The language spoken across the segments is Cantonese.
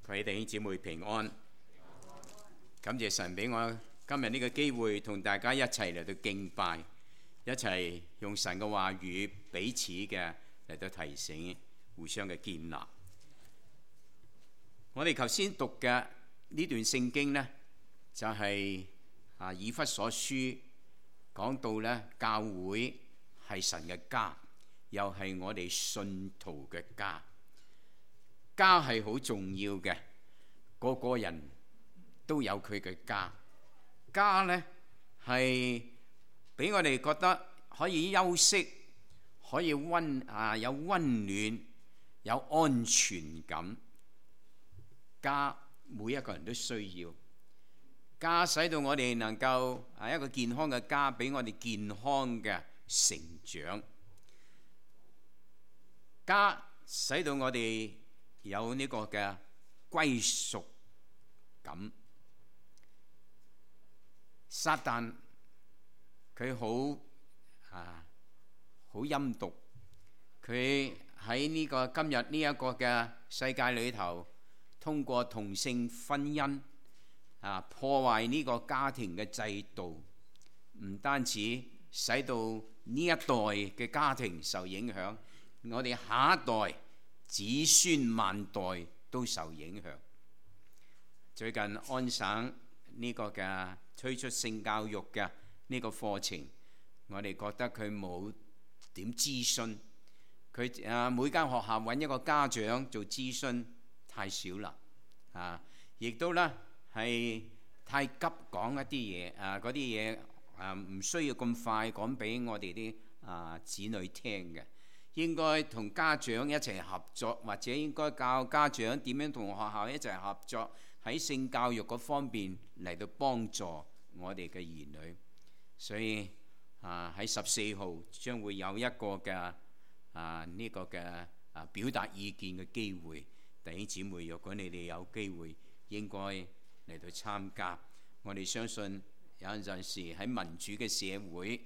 各位弟兄姊妹平安，感謝神俾我今日呢個機會同大家一齊嚟到敬拜，一齊用神嘅話語彼此嘅嚟到提醒，互相嘅建立。我哋頭先讀嘅呢段聖經呢，就係以弗所書講到呢，教會係神嘅家，又係我哋信徒嘅家。家係好重要嘅，個個人都有佢嘅家。家呢係俾我哋覺得可以休息，可以有溫暖，有安全感。家每一個人都需要，家使到我哋能夠一個健康嘅家，俾我哋健康嘅成長。家使到我哋有呢個嘅歸屬感。撒旦佢好陰毒，佢喺呢個今日呢一個嘅世界裏頭，通過同性婚姻破壞呢個家庭嘅制度，唔單止使到呢一代嘅家庭受影響，我哋下一代子孫萬代都受影響。最近安省呢個嘅推出性教育嘅呢個課程，我哋覺得佢冇點諮詢，佢每間學校揾一個家長做諮詢太少啦，亦都咧係太急講一啲嘢，嗰啲嘢唔需要咁快講俾我哋啲子女聽嘅。應該同家長一齊合作，或者應該教家長點樣同學校一齊合作，喺性教育嗰方面嚟到幫助我哋嘅兒女。所以喺14號將會有一個嘅呢個嘅表達意見嘅機會。弟兄姊妹，若果你哋有機會，應該嚟到參加。我哋相信有陣時喺民主嘅社會，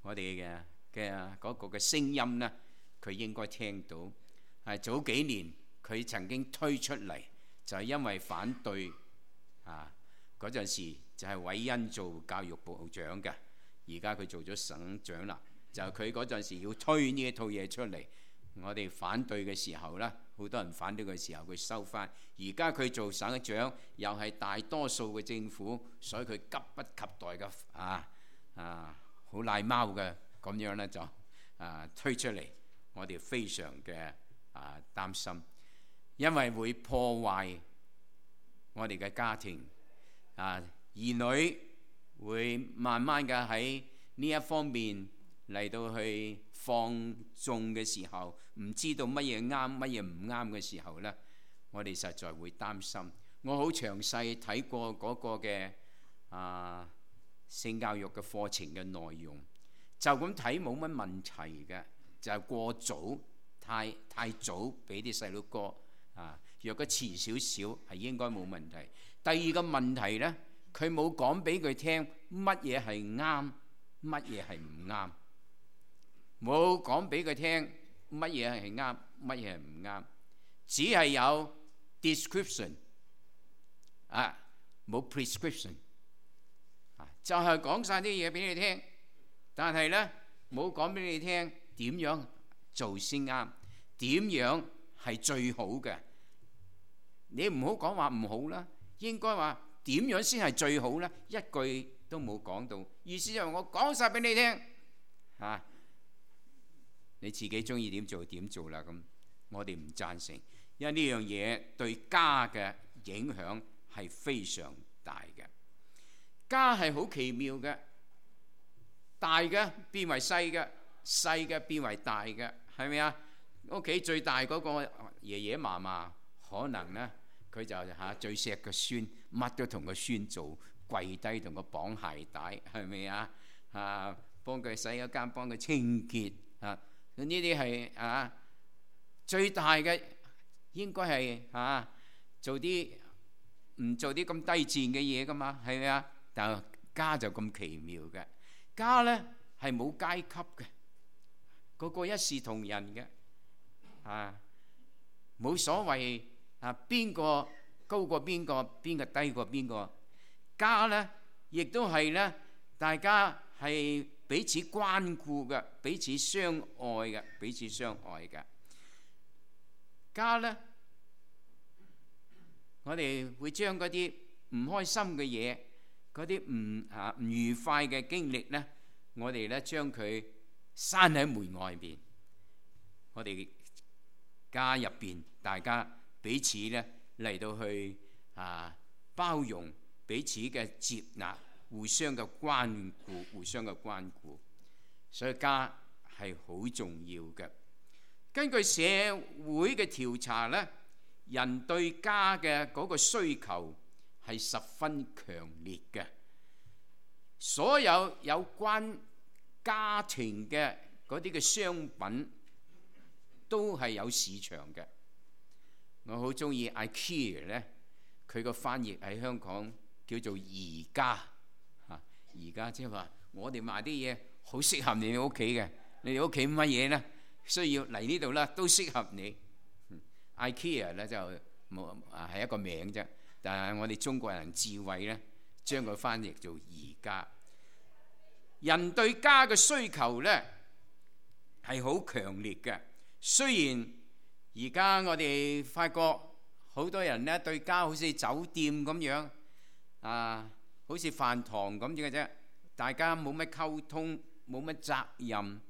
我哋嘅嗰個嘅聲音呢，佢應該聽到。早幾年佢曾經推出嚟，就係因為反對嗰陣時就係韋恩做教育部長嘅，而家佢做咗省長啦。就佢嗰陣時要推呢一套嘢出嚟，我哋反對嘅時候呢，好多人反對嘅時候佢收翻。而家佢做省長，又係大多數嘅政府，所以佢急不及待嘅好賴貓嘅。咁樣呢，就推出嚟，我哋非常嘅擔心，因為會破壞我哋嘅家庭。兒女會慢慢嘅喺呢一方面嚟到去放縱嘅時候，唔知道乜嘢啱乜嘢唔啱嘅時候呢，我哋實在會擔心。我好詳細睇過嗰個嘅性教育嘅課程嘅內容。就咁睇冇乜問題嘅，就係過早，太早俾啲細路哥若果遲少少係應該冇問題。第二個問題呢，佢冇講俾佢聽乜嘢係啱，乜嘢係唔啱，冇講俾佢聽乜嘢係啱，乜嘢係唔啱，只係有 description 冇 prescription， 就係講晒啲嘢俾你聽。但係呢，冇講俾你聽點樣做先啱，點樣係最好嘅。你唔好講話唔好啦，應該話點樣先係最好呢？一句都冇講到，意思就係我講晒俾你聽，你自己中意點做點做啦。咁我哋唔贊成，因為呢樣嘢對家嘅影響係非常大嘅。家係好奇妙嘅。大嘅變為細嘅，細嘅變為大嘅，係咪啊？屋企最大嗰個爺爺嫲嫲，可能呢，佢就最錫個孫，乜都同個孫做，跪低同佢綁鞋帶，係咪啊？幫佢洗咗間，幫佢清潔呢啲係最大嘅，應該係做啲唔做啲咁低賤嘅嘢噶嘛，係咪啊？但家就咁奇妙嘅。家呢係冇階級嘅，個個一視同仁嘅，冇所謂邊個高過邊個，邊個低過邊個。家呢亦都係呢，大家係彼此關顧嘅，彼此相愛嘅，彼此相愛嘅。家呢，我哋會將嗰啲唔開心嘅嘢，嗰啲唔愉快嘅經歷呢，我哋呢將佢閂喺門外邊。我哋家入邊，大家彼此呢嚟到去包容，彼此嘅接納，互相嘅關顧，互相嘅關顧。所以家係好重要嘅。根據社會嘅調查呢，人對家嘅嗰個需求係十分強烈嘅。所有有關家庭嘅嗰啲嘅商品都係有市場嘅。我好中意 IKEA 呢，佢個翻譯喺香港叫做宜家。宜家即係話我哋賣啲嘢好適合你哋屋企嘅，你哋屋企乜嘢呢？需要嚟呢度啦，都適合你。IKEA 咧就冇係一個名啫，但係我哋中國人智慧咧，將佢翻譯做宜家。人對家嘅需求咧係好強烈嘅。雖然而家我哋發覺好多人咧對家好似酒店咁樣好似飯堂咁嘅啫，大家冇乜溝通，冇乜責任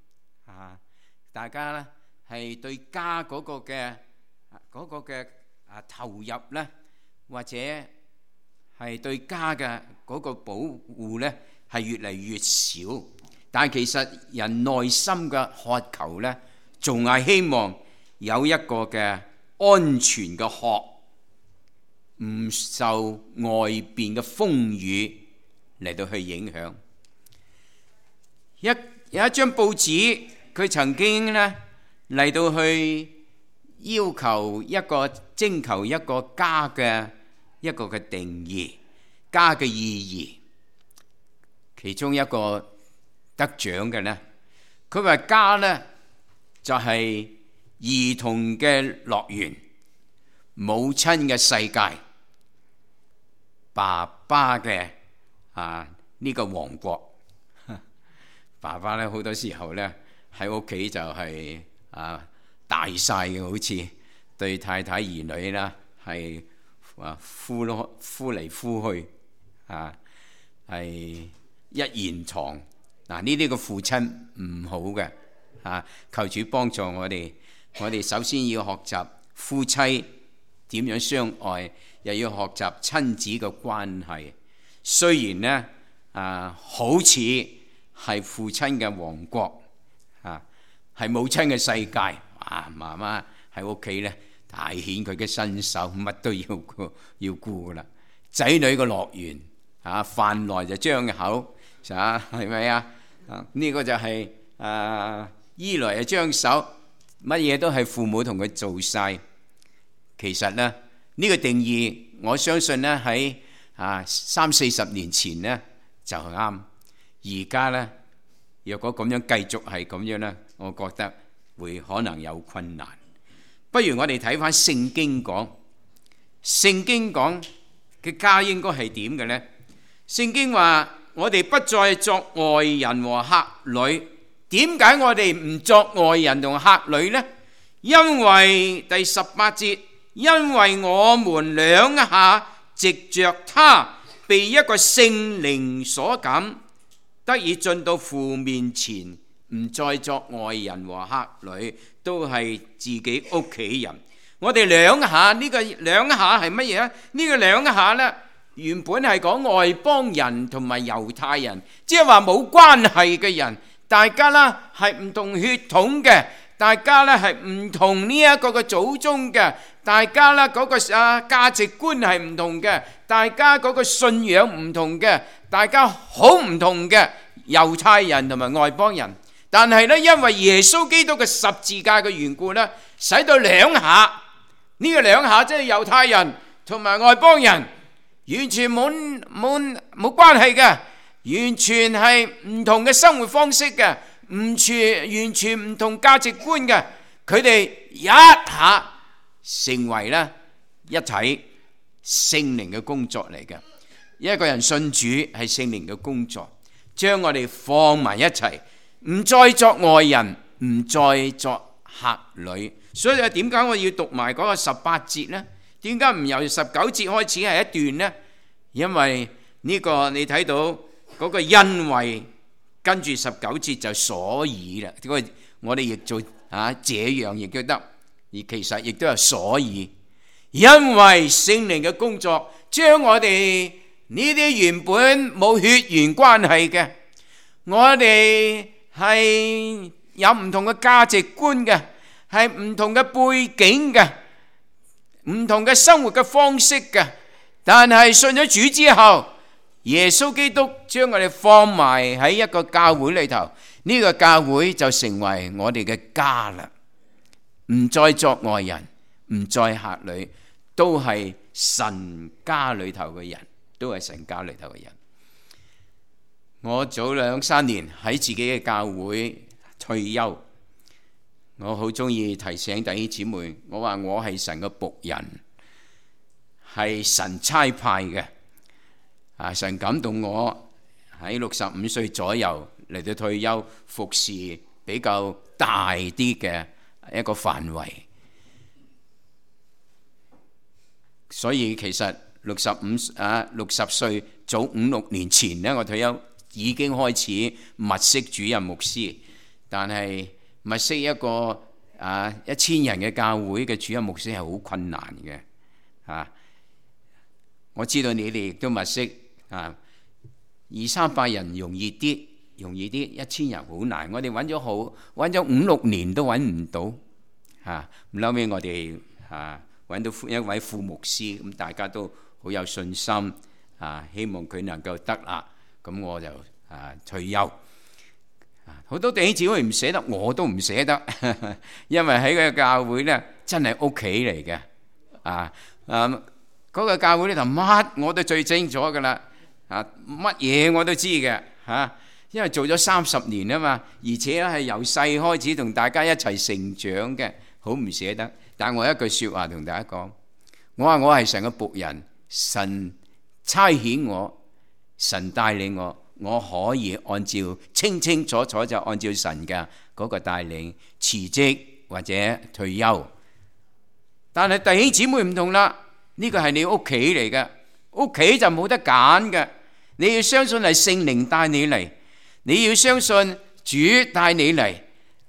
大家咧係對家嗰個嘅投入咧，或者係對家嘅嗰個保護咧，係越嚟越少。但係其實人內心嘅渴求咧，仲係希望有一個嘅安全嘅殼，唔受外邊嘅風雨嚟到去影響。有一張報紙，佢曾經咧嚟到去徵求一個家嘅一個嘅定義，家嘅意義。其中一個得獎嘅呢，佢話家呢就係兒童嘅樂園，母親嘅世界，爸爸嘅呢個王國。爸爸呢好多時候呢喺屋企就係大晒嘅，好似對太太兒女啦係呼嚟呼去係一言堂。呢啲個父親唔好嘅求主幫助我哋。我哋首先要學習夫妻點樣相愛，又要學習親子嘅關係。雖然呢好似係父親嘅王國係母親嘅世界，媽媽喺屋企咧大顯佢嘅身手，乜都要顧噶啦。仔女嘅樂園飯來就張口，係咪呢個就係衣來就張手，乜嘢都係父母同佢做晒。其實呢，呢個定義，我相信呢喺30-40年前呢就啱。而家呢，若果咁樣繼續係咁樣呢，我覺得會可能有困難。不如我哋睇翻聖經講，聖經講嘅家應該係點嘅呢？聖經話我哋不再作外人和客旅。點解我哋唔作外人同客旅呢？因為第18節，因為我們兩下藉着他被一個聖靈所感，得以進到父面前，唔再作外人和客旅，都係自己屋企人。我哋兩下，呢個兩下係乜嘢啊？呢個兩下呢，原本係講外邦人同埋猶太人，即係話冇關係嘅人，大家呢係唔同血統嘅，大家呢係唔同呢一個嘅祖宗嘅，大家呢嗰個價值觀係唔同嘅，大家嗰個信仰唔同嘅，大家好唔同嘅猶太人同埋外邦人。但係呢，因為耶穌基督嘅十字架嘅緣故呢，使到兩下，呢個兩下即係猶太人同埋外邦人完全冇關係嘅，完全係唔同嘅生活方式嘅，完全唔同價值觀嘅，佢哋一下成為咧一體聖靈嘅工作嚟嘅。一個人信主係聖靈嘅工作，將我哋放埋一齊，唔再作外人，唔再作客旅。所以點解我要讀埋嗰個18節呢？點解唔由19節開始係一段呢？因為呢個你睇到嗰個因為跟住19節就所以啦。我哋亦做這樣亦都得，而其實亦都係所以，因為聖靈嘅工作將我哋呢啲原本冇血緣關係嘅，我哋係有唔同嘅價值觀嘅，係唔同嘅背景嘅，唔同嘅生活嘅方式嘅，但係信咗主之後，耶穌基督將我哋放埋喺一個教會裏頭，呢個教會就成為我哋嘅家啦，唔再作外人，唔再客旅，都係神家裏頭嘅人，都係神家裏頭嘅人。我早2-3年喺自己嘅教會退休，我好中意提醒弟兄姊妹，我話我係神嘅僕人，係神差派嘅。神感動我喺65歲左右嚟到退休，服侍比較大啲嘅一個範圍。所以其實60歲早5-6年前呢，我退休已經開始物色主任牧師，但係物色一個1000人嘅教會嘅主任牧師係好困難嘅。我知道你哋亦都物色200-300人容易啲，1000人好難。我哋揾咗5-6年都揾唔到，後尾我哋揾到一位副牧師，咁大家都好有信心，希望佢能夠得啦。咁我就退休。好多弟兄姊妹唔捨得，我都唔捨得，因為喺個教會呢，真係屋企嚟嘅。嗰個教會呢頭乜我都最清楚噶啦，乜嘢我都知嘅，因為做咗30年啊嘛，而且係由細開始同大家一齊成長嘅，好唔捨得。但我一句說話同大家講，我話我係神嘅僕人，神差遣我，神帶領我，我可以按照清清楚楚就按照神嘅嗰個帶領辭職或者退休。但係弟兄姊妹唔同啦，呢個係你屋企嚟嘅，屋企就冇得揀嘅。你要相信係聖靈帶你嚟，你要相信主帶你嚟，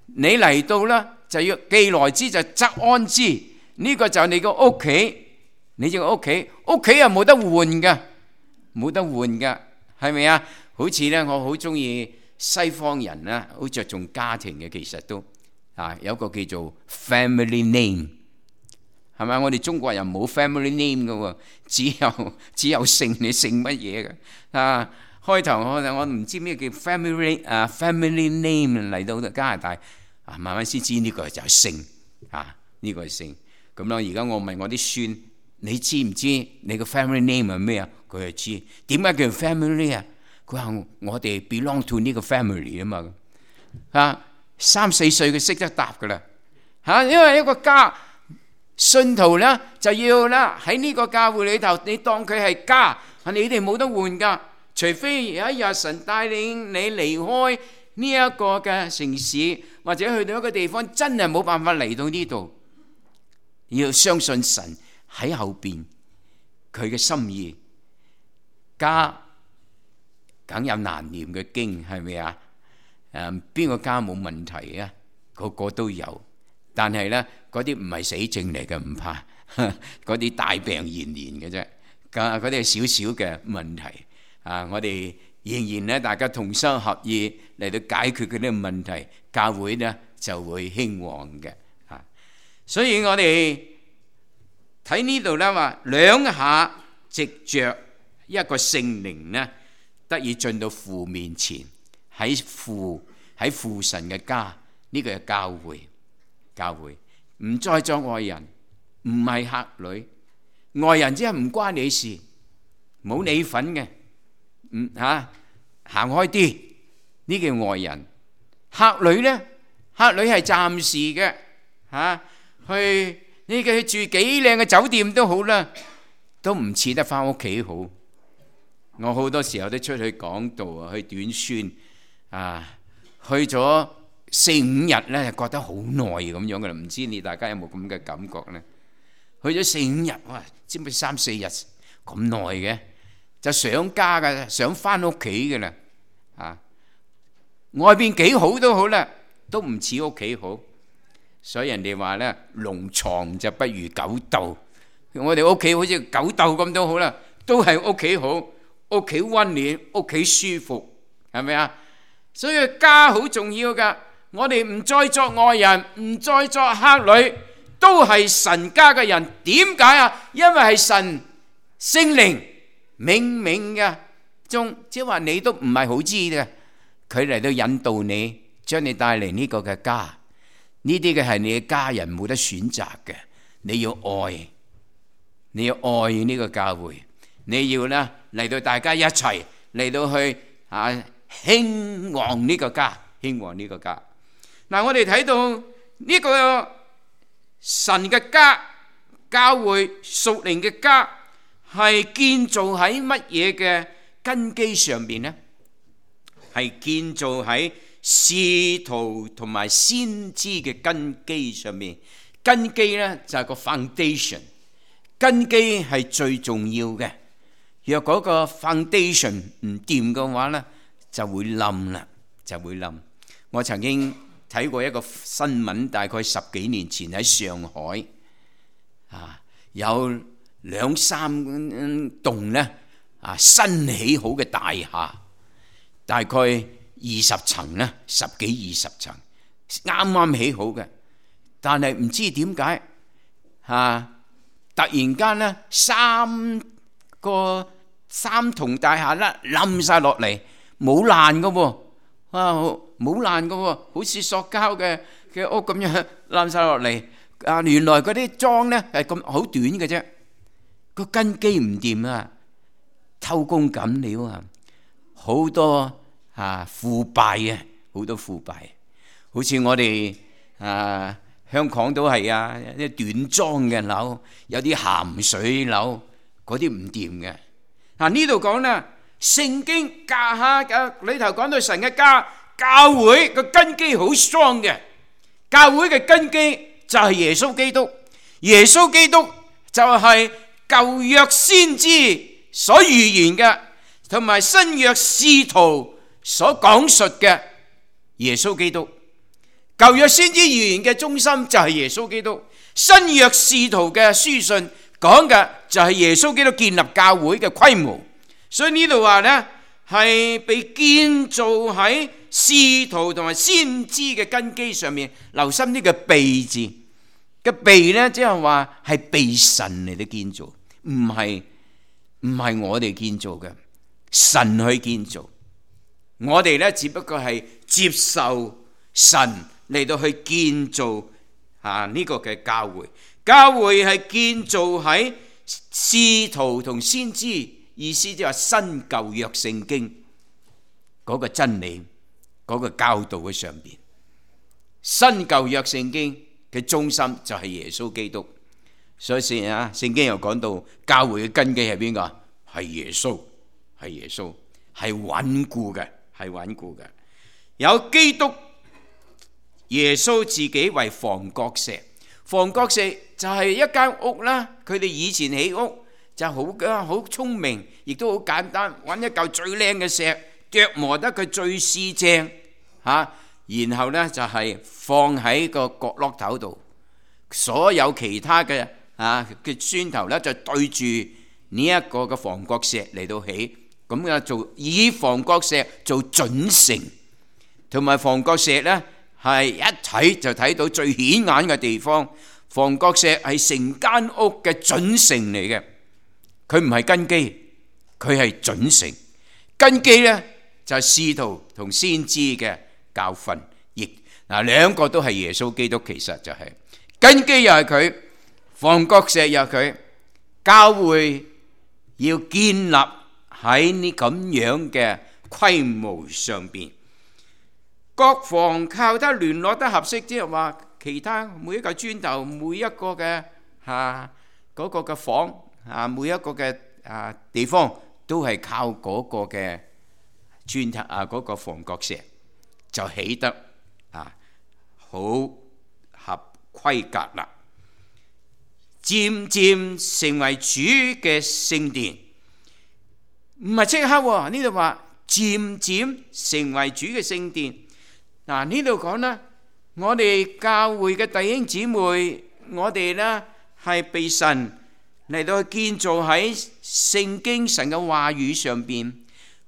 你嚟到啦就要既來之就則安之，呢個就係你個屋企，你隻屋企，屋企又冇得換嘅，冇得換嘅，係咪啊？好似咧，我好中意西方人咧，好着重家庭嘅，其實都有個叫做 family name。係咪？我哋中國人冇 family name 嘅喎，只有姓，你姓乜嘢嘅？開頭我唔知咩叫 family name 嚟到加拿大，慢慢先知呢個就係姓，呢個係姓。咁咯，而家我問我啲孫，你知唔知你個 family name 係咩啊？佢就知。點解叫 family 啊？佢話我哋 belong to 呢個 family 啊嘛。3-4歲佢識得答噶啦，因為一個家。信徒咧就要啦喺呢個教會裏頭，你當佢係家，你哋冇得換噶，除非有一日神帶領你離開呢一個嘅城市，或者去到一個地方，真係冇辦法嚟到呢度，要相信神喺後邊佢嘅心意。家梗有難念嘅經，係咪啊？邊個家冇問題啊？個個都有。但係咧，嗰啲唔係死症嚟嘅，唔怕，嗰啲大病連連嘅啫。嗰啲係少少嘅問題。我哋仍然咧，大家同心合意嚟到解決嗰啲問題，教會咧就會興旺嘅。所以我哋睇呢度咧話，兩下藉着一個聖靈咧，得以進到父面前，喺父神嘅家，呢個係教會。教會唔再作外人，唔係客旅。外人即係唔關你事，冇你份嘅，行開啲，呢叫外人。客旅呢？客旅係暫時嘅，去你嘅住幾靚嘅酒店都好啦，都唔似得翻屋企好。我好多時候都出去講道啊，去短宣啊，去咗4-5日咧，覺得好耐咁樣噶啦。唔知你大家有冇咁嘅感覺咧？去咗4-5日，哇，知唔知3-4日咁耐嘅，就想家噶，想翻屋企嘅啦。啊，外邊幾好都好啦，都唔似屋企好。所以人哋話咧，龍床就不如狗竇。我哋屋企好似狗竇咁都好啦，都係屋企好，屋企溫暖，屋企舒服，係咪啊？所以家好重要噶。我哋唔再作外人，唔再作客旅，都係神家嘅人。點解啊？因為係神聖靈冥冥嘅中，即係話你都唔係好知嘅，佢嚟到引導你，將你帶嚟呢個嘅家。呢啲嘅係你嘅家人，冇得選擇嘅。你要愛，你要愛呢個教會，你要咧嚟到大家一齊嚟到去興旺呢個家，興旺呢個家。嗱，我哋睇到呢個神嘅家，教會屬靈嘅家，係建造喺乜嘢嘅根基上邊呢？係建造喺使徒同埋先知嘅根基上面。根基呢就係個 foundation， 根基係最重要嘅。若嗰個 foundation 唔掂嘅話呢，就會冧啦，就會冧。我曾經睇過一個新聞，大概10幾年前喺上海有2-3棟呢新起好嘅大廈，大概20層呢，10幾20層，啱啱起好嘅。但係唔知點解突然間呢3棟大廈咧冧晒落嚟，冇爛㗎喎，冇爛㗎喎，好似塑膠嘅屋咁樣冧晒落嚟。原來嗰啲樁呢係咁好短嘅啫，個根基唔掂啊，偷工減料啊，好多腐敗啊，好多腐敗。好似我哋香港都係啲短樁嘅樓，有啲鹹水樓，嗰啲唔掂嘅。呢度講咧，聖經家下嘅裏頭講到神嘅家，教會個根基好 strong 嘅。教會嘅根基就係耶穌基督，耶穌基督就係舊約先知所預言嘅，同埋新約使徒所講述嘅耶穌基督。舊約先知預言嘅中心就係耶穌基督，新約使徒嘅書信講嘅就係耶穌基督建立教會嘅規模。所以呢度話呢係被建造喺使徒同埋先知嘅根基上面。留心呢個被字嘅被呢，即係話係被神嚟到建造，唔係我哋建造嘅，神去建造。我哋呢只不過係接受神嚟到去建造呢個嘅教會。教會係建造喺使徒同先知，意思即係話新舊約聖經嗰個真理，嗰個教導嘅上邊。新舊約聖經嘅中心就係耶穌基督。所以聖經又講到教會嘅根基係邊個？係耶穌，係耶穌，係穩固嘅，係穩固嘅。有基督耶穌自己為房角石，房角石就係一間屋啦。佢哋以前起屋就好聰明，亦都好簡單，揾一嚿最靚嘅石，琢磨得佢最四正然後呢就係放喺個角落頭度，所有其他嘅嘅磚頭呢就對住呢一個嘅房角石嚟到起，咁做以房角石做準繩，同埋房角石呢係一睇就睇到最顯眼嘅地方。房角石係成間屋嘅準繩嚟嘅，佢唔係根基，佢係準繩。根基呢就係使徒同先知嘅教訓，亦兩個都係耶穌基督，其實就係根基又係佢，房角石又係佢。教會要建立喺呢咁樣嘅規模上邊，各房靠得聯絡得合適，即係話其他每一個磚頭，每一個嘅嗰個嘅房每一個嘅地方都係靠嗰個嘅磚頭嗰個房角石就起得好合規格啦。漸漸成為主嘅聖殿，唔係即刻喎。呢度話漸漸成為主嘅聖殿。呢度講啦，我哋教會嘅弟兄姊妹，我哋呢係被神嚟到建造喺聖經神嘅話語上邊。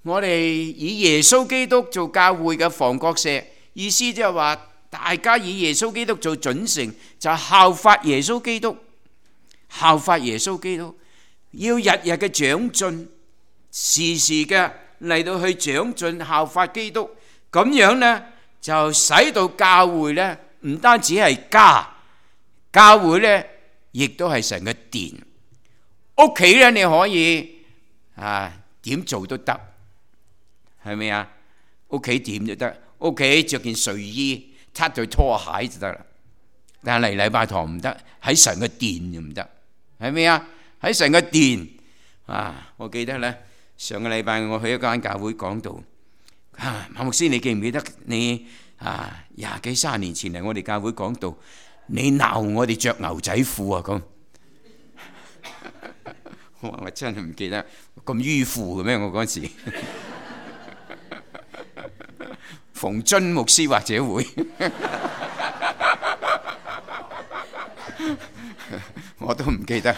我哋以耶穌基督做教會嘅房角石，意思即係話大家以耶穌基督做準繩，就效法耶穌基督。效法耶穌基督，要日日嘅長進，時時嘅嚟到去長進效法基督，咁樣呢就使到教會呢唔單止係家，教會呢亦都係神嘅殿。屋企呢你可以點做都得，係咪啊？屋企點都得，屋企着件睡衣，擦對拖鞋就得啦。但係嚟禮拜堂唔得，喺神嘅殿就唔得。係咪啊？喺神嘅殿我記得咧，上個禮拜我去一間教會講道，馬牧師，你記唔記得你20幾30年前嚟我哋教會講道，你鬧我哋着牛仔褲咁？我真係唔記得，咁迂腐嘅咩？我嗰時馮津牧師或者會。我都唔記得，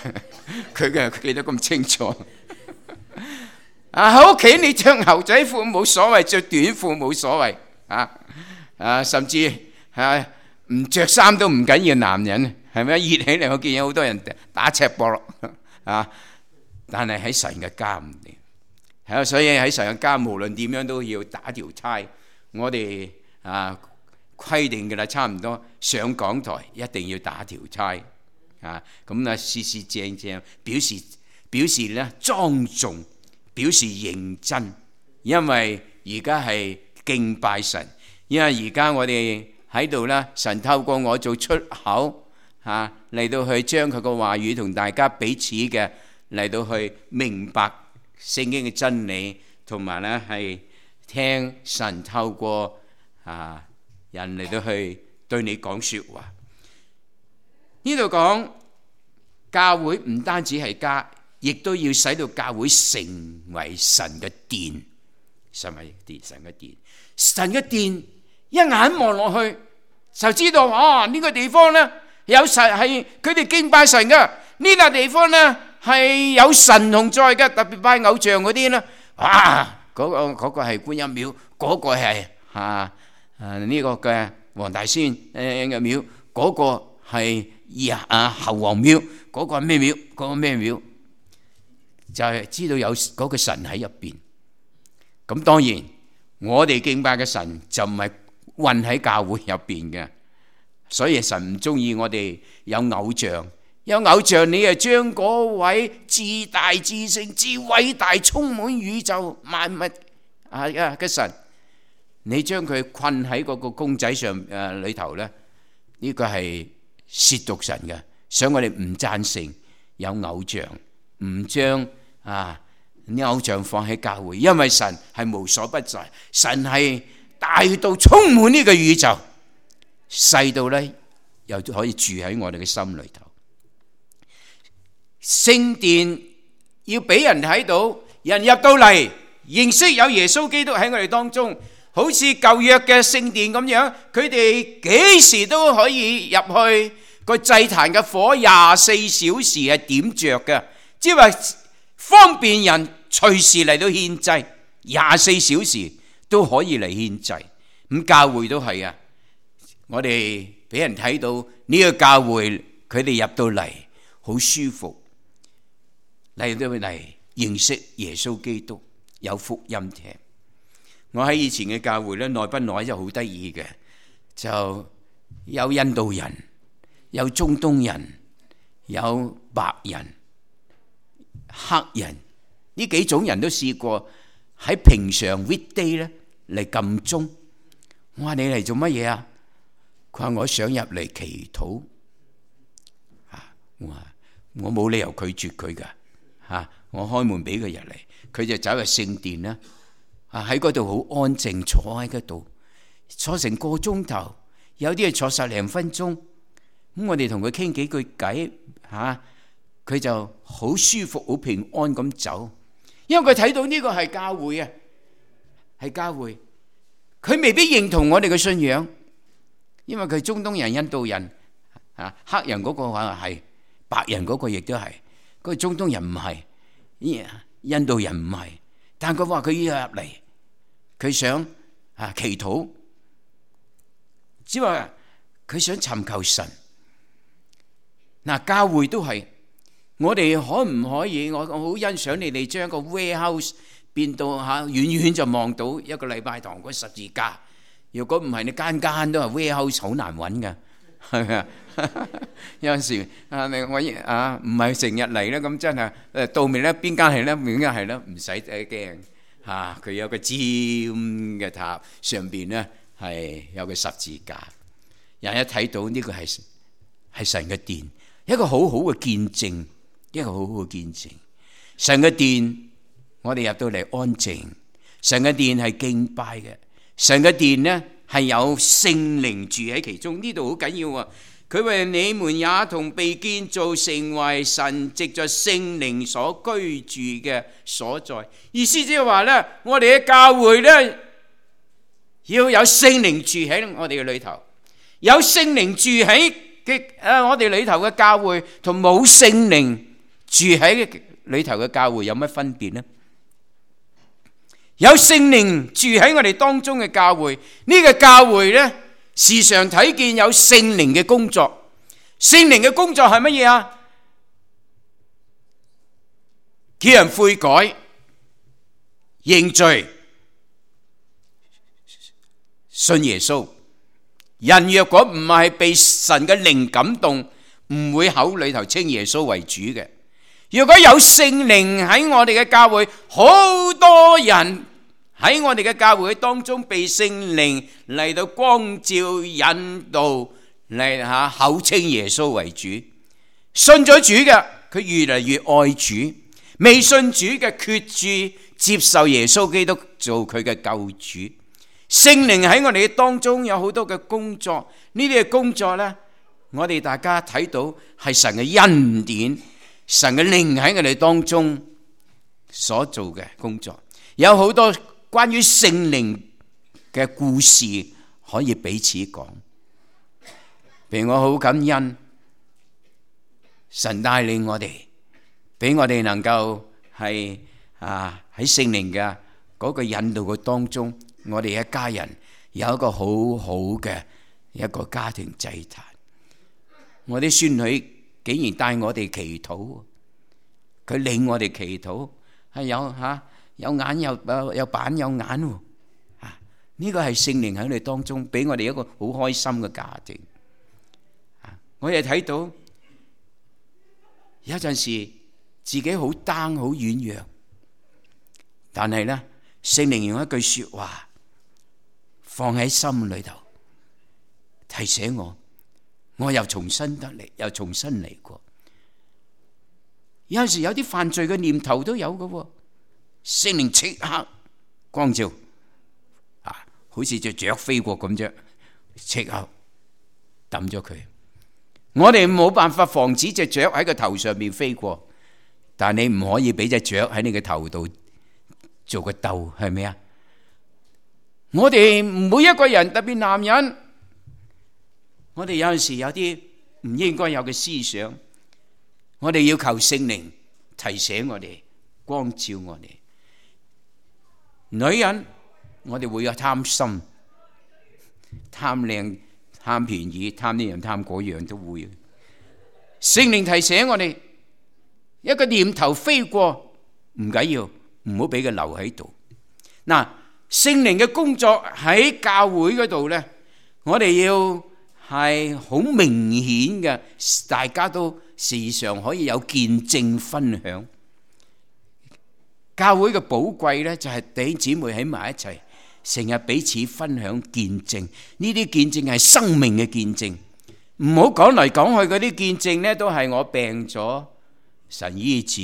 佢記得咁清楚。喺屋企你着牛仔褲冇所謂，着短褲冇所謂，甚至唔着衫都唔緊要。男人係咪熱起嚟？我見有好多人打赤膊咯，但係喺神嘅家唔掂，所以喺神嘅家無論點樣都要打條呔。我哋規定嘅啦，差唔多上講台一定要打條呔。咁事事正正表示咧莊重，表示認真，因為而家係敬拜神，因為而家我哋喺度咧，神透過我做出口嚟到去將佢個話語同大家彼此嘅嚟到去明白聖經嘅真理，同埋咧係聽神透過人嚟到去對你講說話。呢度講教會唔單止係家，亦都要使到教會成為神嘅殿。神嘅殿，一眼望落去就知道呢個地方呢有神，係佢哋敬拜神嘅。呢個地方呢係有神同在嘅，特別拜偶像嗰啲呢，嗰個係觀音廟，嗰個係呢個嘅黃大仙嘅廟，嗰個係侯王廟，嗰個係咩廟？嗰個咩廟？就係知道有嗰個神喺入邊。咁當然，我哋敬拜嘅神就唔係混喺教會入邊嘅，所以神唔中意我哋有偶像。有偶像，你就將嗰位至大至聖至偉大充滿宇宙萬物嘅神，你將佢困喺嗰個公仔上裏頭咧，呢個係褻瀆神嘅。所以我哋唔贊成有偶像，唔將偶像放喺教會，因為神係無所不在，神係大到充滿呢個宇宙，細到咧又可以住喺我哋嘅心裏頭。聖殿要俾人睇到，人入到嚟認識有耶穌基督喺我哋當中，好似舊約嘅聖殿咁樣，佢哋幾時都可以入去，個祭壇嘅火24小時係點着嘅，即係話方便人隨時嚟到獻祭，24小時都可以嚟獻祭。咁教會都係啊，我哋俾人睇到呢個教會，佢哋入到嚟好舒服，嚟到嚟認識耶穌基督，有福音聽。我喺以前嘅教會咧，內不內就好得意嘅，就有印度人，有中東人，有白人、黑人，呢幾種人都試過喺平常 weekday 咧嚟撳鐘。我話你嚟做乜嘢啊？佢話我想入嚟祈禱。我冇理由拒絕佢噶嚇，我開門俾佢入嚟，佢就走入聖殿啦。喺嗰度好安靜坐喺嗰度，坐成個鐘頭，有啲係坐10零分鐘。咁我哋同佢傾幾句偈嚇，佢就好舒服、好平安咁走。因為佢睇到呢個係教會啊，係教會。佢未必認同我哋嘅信仰，因為佢係中東人、印度人啊，黑人嗰個話係，白人嗰個亦都係，嗰個中東人唔係，印度人唔係。但佢話佢要入嚟，佢想祈禱，只話佢想尋求神。嗱，教會都係，我哋可唔可以？我好欣賞你哋將一個 warehouse 變到遠遠就望到一個禮拜堂嗰十字架。如果唔係，你間間都係 warehouse，好難揾㗎，係咪啊？有陣時我唔係成日嚟咧，咁真係到面咧，邊間係咧？邊間係咧？唔使驚嚇，佢有個尖嘅塔，上邊咧係有個十字架。人一睇到呢個係神嘅殿，一個好好嘅見證，一個好好嘅見證。神嘅殿，我哋入到嚟安靜。神嘅殿係敬拜嘅，神嘅殿呢係有聖靈住喺其中。呢度好緊要啊！佢話你們也同被建造成為神藉着聖靈所居住嘅所在。意思即係話呢，我哋嘅教會呢要有聖靈住喺我哋嘅裏頭。有聖靈住喺我哋裏頭嘅教會，同冇聖靈住喺裏頭嘅教會有乜分別呢？有聖靈住喺我哋當中嘅教會，呢個教會呢，時常睇見有聖靈嘅工作。聖靈嘅工作係乜嘢啊？叫人悔改、認罪、信耶穌。人若果唔係被神嘅靈感動，唔會口裏頭稱耶穌為主嘅。如果有聖靈喺我哋嘅教會，好多人喺我哋嘅教會當中被聖靈嚟到光照引導，嚟口稱耶穌為主。信咗主嘅，佢越嚟越愛主；未信主嘅，決志接受耶穌基督做佢嘅救主。聖靈喺我哋當中有好多嘅工作，呢啲嘅工作呢，我哋大家睇到係神嘅恩典，神嘅靈喺我哋當中所做嘅工作。有好多關於聖靈嘅故事可以彼此講。譬如我好感恩神帶領我哋，俾我哋能夠係喺聖靈嘅嗰個引導嘅當中，我哋一家人有一個好好嘅一個家庭祭壇。我啲孫女竟然帶我哋祈禱，佢領我哋祈禱，係有眼有板有眼喎。呢個係聖靈喺我哋當中，俾我哋一個好開心嘅家庭。我哋睇到有陣時自己好 down 好軟弱，但係呢，聖靈用一句說話放喺心裏頭，提醒我又重新得嚟，又重新嚟過。有陣時有啲犯罪嘅念頭都有嘅，聖靈即刻光照，好似隻雀飛過咁啫，即刻抌咗佢。我哋冇辦法防止隻雀喺個頭上面飛過，但你唔可以俾隻雀喺你嘅頭度做個竇，係咪啊？我哋每一個人，特別男人，我哋有陣時有啲唔應該有嘅思想，我哋要求聖靈提醒我哋，光照我哋。女人，我哋會有貪心、貪靚、貪便宜、貪呢樣貪嗰樣都會。聖靈提醒我哋，一個念頭飛過唔緊要，唔好俾佢留喺度。嗱，聖靈嘅工作喺教會嗰度呢，我哋要係好明顯嘅，大家都時常可以有見證分享。教會嘅寶貴呢，就係弟兄姊妹喺埋一齊，成日彼此分享見證。呢啲見證係生命嘅見證，唔好講嚟講去嗰啲見證呢，都係我病咗神醫治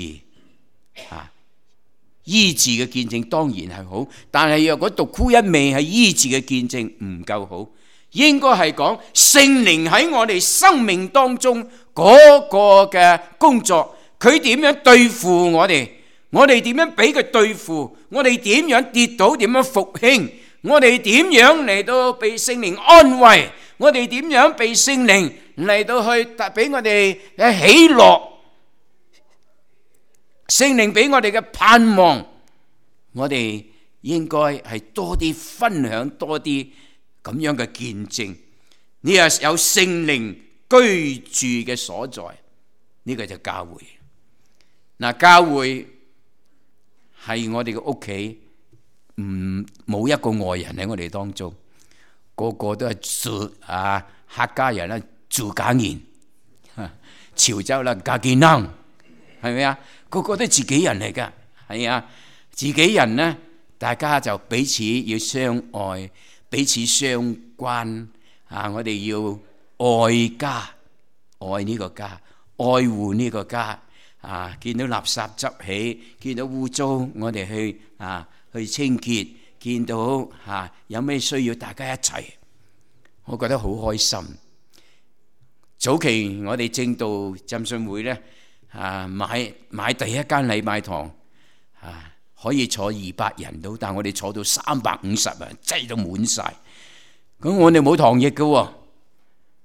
醫治嘅見證當然係好，但係若果獨沽一味係醫治嘅見證唔夠好，應該係講聖靈喺我哋生命當中嗰個嘅工作，佢點樣對付我哋，我哋點樣俾佢對付，我哋點樣跌倒，點樣復興，我哋點樣嚟到被聖靈安慰，我哋點樣被聖靈嚟到去俾我哋嘅喜樂，聖靈俾我哋嘅盼望，我哋應該係多啲分享，多啲咁樣嘅見證。呢個有聖靈居住嘅所在，呢個就教會。嗱，教會係我哋嘅屋企，冇一個外人喺我哋當中，個個都係客家人啦，住家人，潮州啦，家見能，係咪啊？個個都自己人嚟噶，係啊，自己人呢，大家就彼此要相愛，彼此相關我哋要愛家，愛呢個家，愛護呢個家見到垃圾執起，見到污糟，我哋去清潔，見到有咩需要，大家一齊，我覺得好開心。早期我哋正道浸信會呢，買第一間禮拜堂可以坐200人到，但我哋坐到350人，擠到滿晒。咁我哋冇堂役嘅，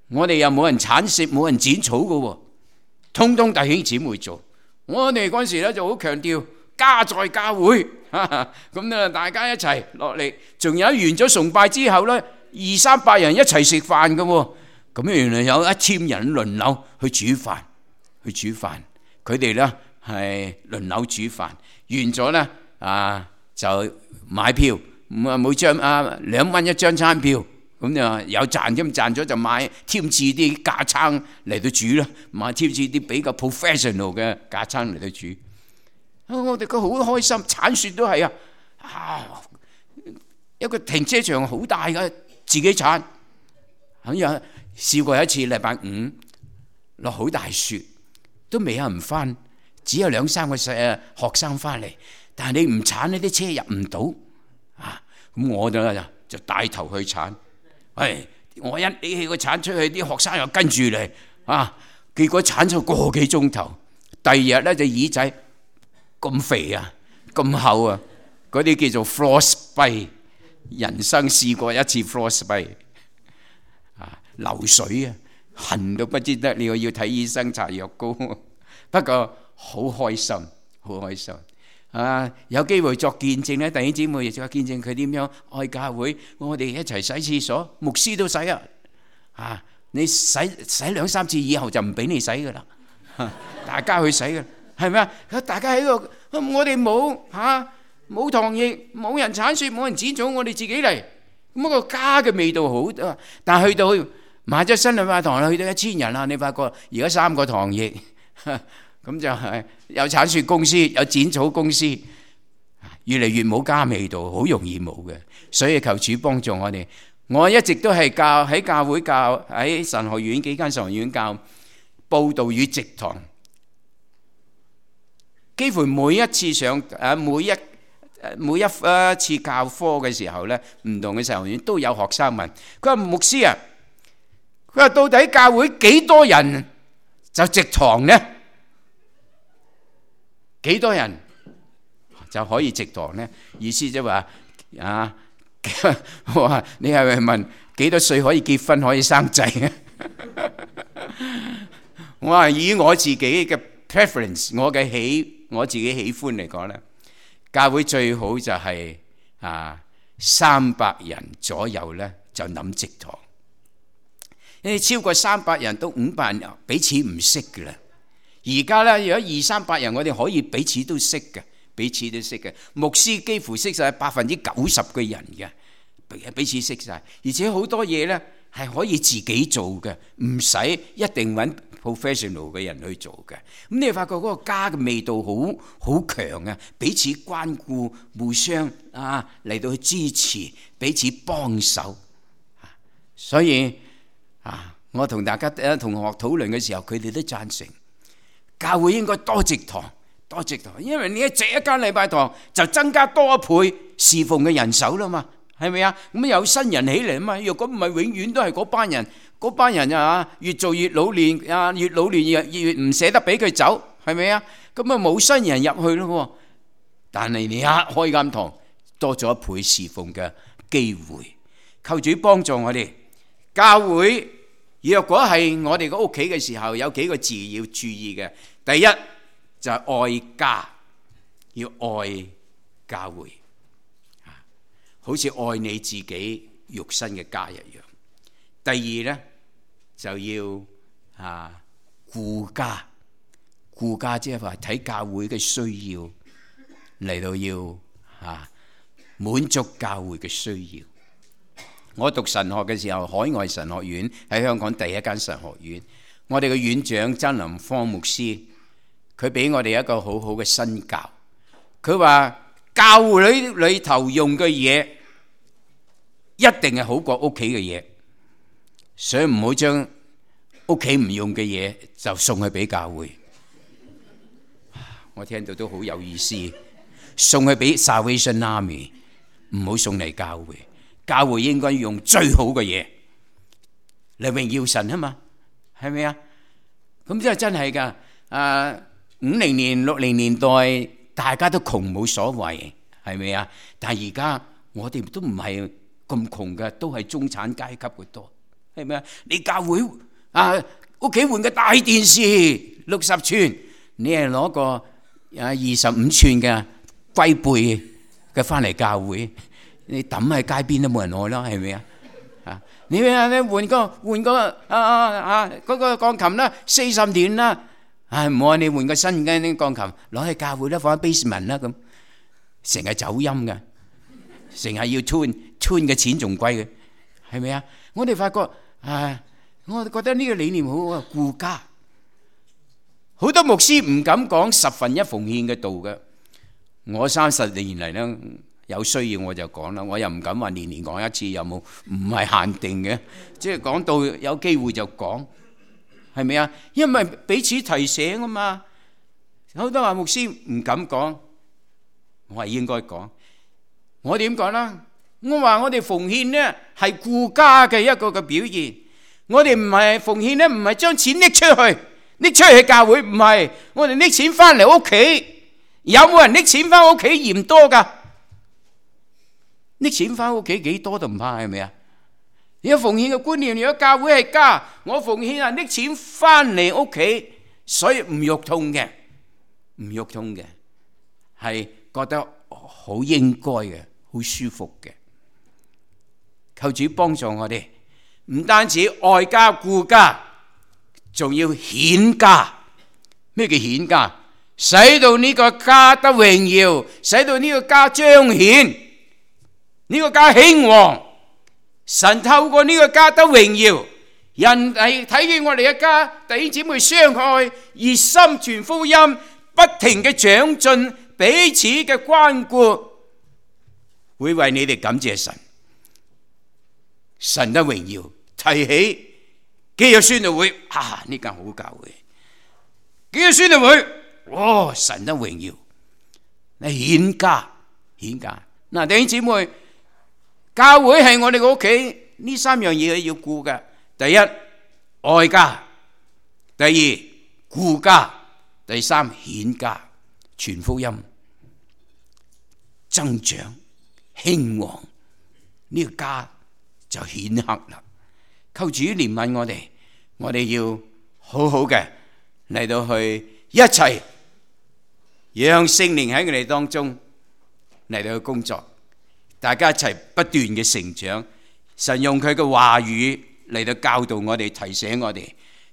我哋又冇人鏟雪，冇人剪草嘅，通通弟兄姊妹做。我哋嗰時咧就好強調家在教會，咁咧大家一齊落嚟，仲有完咗崇拜之後咧，200-300人一齊食飯嘅，咁原來有1000人輪流去煮飯，佢哋咧係輪流煮飯，完咗咧就買票，每張2蚊一張餐票，咁就有賺咁賺咗就買添置啲架撐嚟到煮啦，買添置啲比較 professional 嘅架撐嚟到煮。我哋個好開心，鏟雪都係一個停車場好大嘅，自己鏟。有試過一次禮拜五落好大雪，都未有人翻，只有2-3個學生翻嚟。但係你唔鏟呢啲車入唔到咁我就帶頭去鏟。我一拎起個鏟出去，啲學生又跟住嚟結果鏟咗個幾鐘頭。第二日咧隻耳仔咁肥咁厚嗰啲叫做 frostbite。人生試過一次 frostbite，流水痕到不知得了，要睇醫生搽藥膏。不過好開心，好開心。有機會作見證咧，弟兄姊妹亦作見證佢點樣愛教會。我哋一齊洗廁所，牧師都洗你洗2-3次以後就唔俾你洗噶啦，大家去洗噶，係咪啊？大家喺度，我哋冇堂役，冇人鏟雪，冇人剪草，我哋自己嚟，咁個家嘅味道好。但係去到買咗新禮拜堂啦，去到1000人啦，你發覺而家3個堂役。咁就係有鏟雪公司，有剪草公司，越嚟越冇家味道，好容易冇嘅。所以求主幫助我哋。我一直都係喺教會教，喺神學院幾間神學院教佈道與植堂，幾乎每一次上每一次教科嘅時候咧，唔同嘅神學院都有學生問佢話：牧師佢話到底教會幾多人就植堂呢？幾多人就可以植堂呢？意思即係話我話你係咪問幾多歲可以結婚可以生仔啊？我話以我自己嘅 preference， 我自己喜歡嚟講咧，教會最好就係300人左右咧就諗植堂。你超過300人到500人彼此唔識嘅啦。而家咧，如果200-300人，我哋可以彼此都識嘅，彼此都識嘅。牧師幾乎識晒90%嘅人嘅，彼此識晒。而且好多嘢咧係可以自己做嘅，唔使一定揾 professional 嘅人去做嘅。咁你發覺嗰個家嘅味道好強啊！彼此關顧，互相嚟到去支持，彼此幫手。所以我同大家同學討論嘅時候，佢哋都贊成教會應該多植堂，多植堂，因為你一植一間禮拜堂，就增加多一倍侍奉嘅人手啦嘛，係咪啊？咁有新人起嚟啊嘛。若果唔係，永遠都係嗰班人啊，越做越老練啊，越老練越唔捨得俾佢走，係咪啊？咁啊冇新人入去咯。但係你一開間堂，多咗一倍侍奉嘅機會。求主幫助我哋教會。若果係我哋個屋企嘅時候，有幾個字要注意嘅。第一就係愛家，要愛教會，好似愛你自己肉身嘅家一樣。第二呢就要顧家，顧家即係話睇教會嘅需要嚟到要滿足教會嘅需要。我讀神學嘅時候，海外神學院喺香港第一間神學院，我哋嘅院長曾林芳牧師，佢俾我哋一個好好嘅身教。佢話教會裏頭用嘅嘢一定係好過屋企嘅嘢，所以唔好將屋企唔用嘅嘢就送去俾教會。我聽到都好有意思，送去俾 Salvation Army， 唔好送嚟教會。教會應該用最好嘅嘢嚟榮耀神啊嘛，係咪啊？咁即係真係噶。50年、60年代大家都窮冇所謂，係咪啊？但係而家我哋都唔係咁窮嘅，都係中產階級嘅多，係咪啊？你教會屋企換個大電視60寸，你係攞個25寸嘅龜背嘅翻嚟教會。你抌喺街邊都冇人愛啦，係咪啊？你換個嗰個鋼琴啦，40年啦，唔好啊！你換個新嘅啲鋼琴，攞去教會啦，放喺 basement 啦，咁成日走音嘅，成日要 tune 嘅錢仲貴嘅，係咪啊？我哋發覺我哋覺得呢個理念好好啊，顧家。好多牧師唔敢講1/10奉獻嘅道嘅，我30年嚟咧。有需要我就講啦，我又唔敢話年年講一次，有冇？唔係限定嘅，即係講到有機會就講，係咪啊？因為彼此提醒啊嘛。好多話牧師唔敢講，我係應該講。我點講啦？我話我哋奉獻呢係顧家嘅一個嘅表現。我哋唔係奉獻呢，唔係將錢拎出去教會，唔係。我哋拎錢翻嚟屋企，有冇人拎錢翻屋企嫌多㗎？拎錢翻屋企幾多都唔怕，係咪啊？如果奉獻嘅觀念，如果教會係家，我奉獻係拎錢翻嚟屋企，所以唔肉痛嘅，係覺得好應該嘅，好舒服嘅。求主幫助我哋，唔單止愛家顧家，仲要顯家。咩叫顯家？使到呢個家得榮耀，使到呢個家彰顯。呢個家興旺，神透過呢個家得榮耀，人係睇見我哋一家弟兄姊妹相愛，熱心傳福音，不停嘅長進，彼此嘅關顧，會為你哋感謝神。神得榮耀，提起基約宣道會，呢間好教會，基約宣道會，神得榮耀，你顯家。嗱，弟兄姊妹。教會係我哋個屋企，呢3樣嘢要顧嘅。第一，愛家；第二，顧家；第三，顯家。傳福音、增長、興旺，呢個家就顯赫啦。求主憐憫我哋，我哋要好好嘅嚟到去一齊，讓聖靈喺我哋當中嚟到去工作。大家一齊不斷嘅成長，神用佢嘅話語嚟到教導我哋，提醒我哋，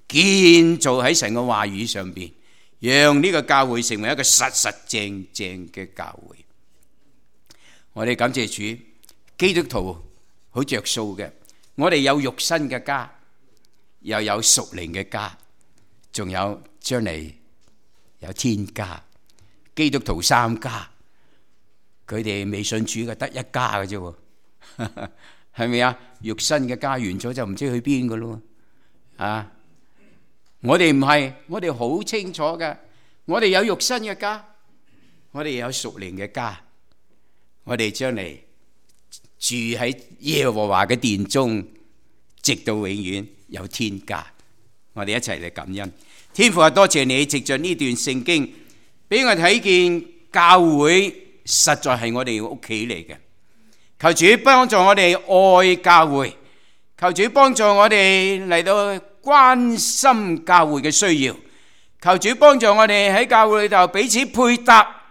建造喺神嘅話語上邊，讓呢個教會成為一個實實正正嘅教會。我哋感謝主，基督徒好着數嘅，我哋有肉身嘅家，又有屬靈嘅家，仲有將嚟有天家。基督徒3家。佢哋未信主嘅得一家嘅啫，係咪啊？肉身嘅家完咗就唔知去邊嘅咯。啊！我哋唔係，我哋好清楚嘅，我哋有肉身嘅家，我哋有屬靈嘅家，我哋將嚟住喺耶和華嘅殿中，直到永遠，有天家。我哋一齊嚟感恩。天父啊，多謝你藉着呢段聖經，俾我睇見教會實在係我哋屋企嚟嘅。求主幫助我哋愛教會，求主幫助我哋嚟到關心教會嘅需要，求主幫助我哋喺教會裏頭彼此配搭，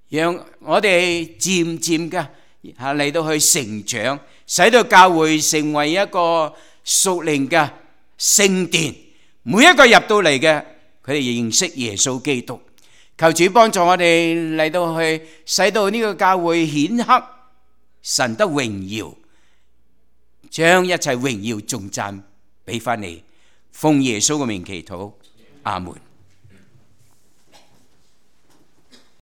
讓我哋漸漸嘅嚟到去成長，使到教會成為一個屬靈嘅聖殿。每一個入到嚟嘅，佢哋認識耶穌基督。求主幫助我哋嚟到去，使到呢個教會顯赫神得榮耀，將一切榮耀頌讚俾翻你。奉耶穌嘅名祈禱，阿門。